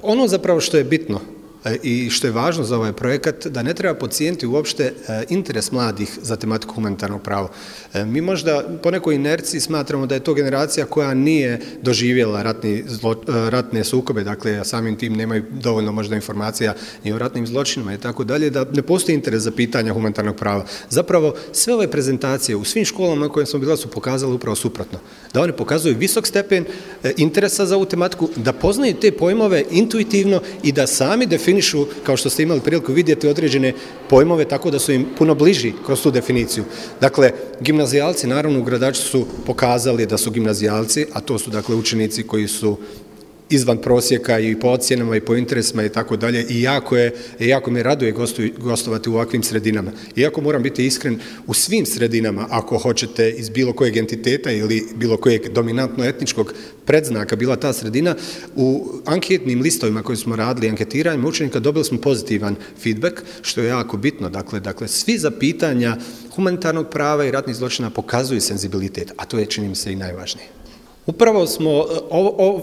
Ono zapravo što je bitno i što je važno za ovaj projekat, da ne treba podcijeniti uopšte interes mladih za tematiku humanitarnog prava. Mi možda po nekoj inerciji smatramo da je to generacija koja nije doživjela ratne sukobe, dakle samim tim nemaju dovoljno možda informacija i o ratnim zločinima i tako dalje, da ne postoji interes za pitanja humanitarnog prava. Zapravo sve ove prezentacije u svim školama na kojima smo bila su pokazale upravo suprotno. Da one pokazuju visok stepen interesa za ovu tematiku, da poznaju te pojmove intuitivno i da sami definišu, kao što ste imali priliku vidjeti, određene pojmove tako da su im puno bliži kroz tu definiciju. Dakle, gimnazijalci, naravno u Gradaču su pokazali da su gimnazijalci, a to su dakle učenici koji su izvan prosjeka i po ocjenama i po interesima i tako dalje, i jako me raduje gostovati u ovakvim sredinama. Iako moram biti iskren, u svim sredinama, ako hoćete iz bilo kojeg entiteta ili bilo kojeg dominantno etničkog predznaka bila ta sredina, u anketnim listovima koje smo radili, anketiranjem učenika, dobili smo pozitivan feedback, što je jako bitno. Dakle, svi za pitanja humanitarnog prava i ratnih zločina pokazuju senzibilitet, a to je, čini mi se, i najvažnije. Upravo smo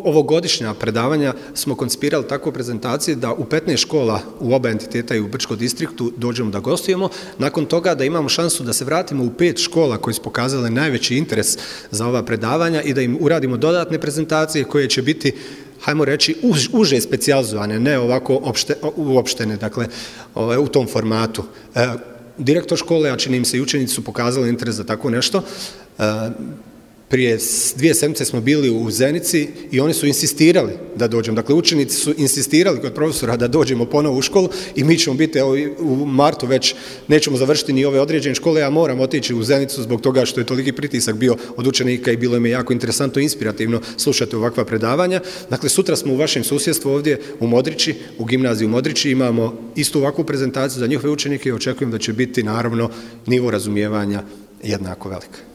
ovogodišnja predavanja smo koncipirali tako prezentacije da u 15 škola u oba entiteta i u Brčkom distriktu dođemo da gostujemo. Nakon toga da imamo šansu da se vratimo u 5 škola koje su pokazale najveći interes za ova predavanja i da im uradimo dodatne prezentacije koje će biti, hajmo reći, uže specijalizovane, ne ovako uopštene, dakle u tom formatu. Direktor škole, a čini im se i učenici, su pokazali interes za tako nešto. Prije 2 sedmice smo bili u Zenici i oni su insistirali da dođemo. Dakle, učenici su insistirali kod profesora da dođemo ponovo u školu i mi ćemo biti u martu već, nećemo završiti ni ove određene škole, ja moram otići u Zenicu zbog toga što je toliki pritisak bio od učenika i bilo im je jako interesantno i inspirativno slušati ovakva predavanja. Dakle, sutra smo u vašem susjedstvu ovdje u Modrići, u gimnaziji u Modrići, imamo istu ovakvu prezentaciju za njihove učenike i očekujem da će biti, naravno, nivo razumijevanja jednako velik.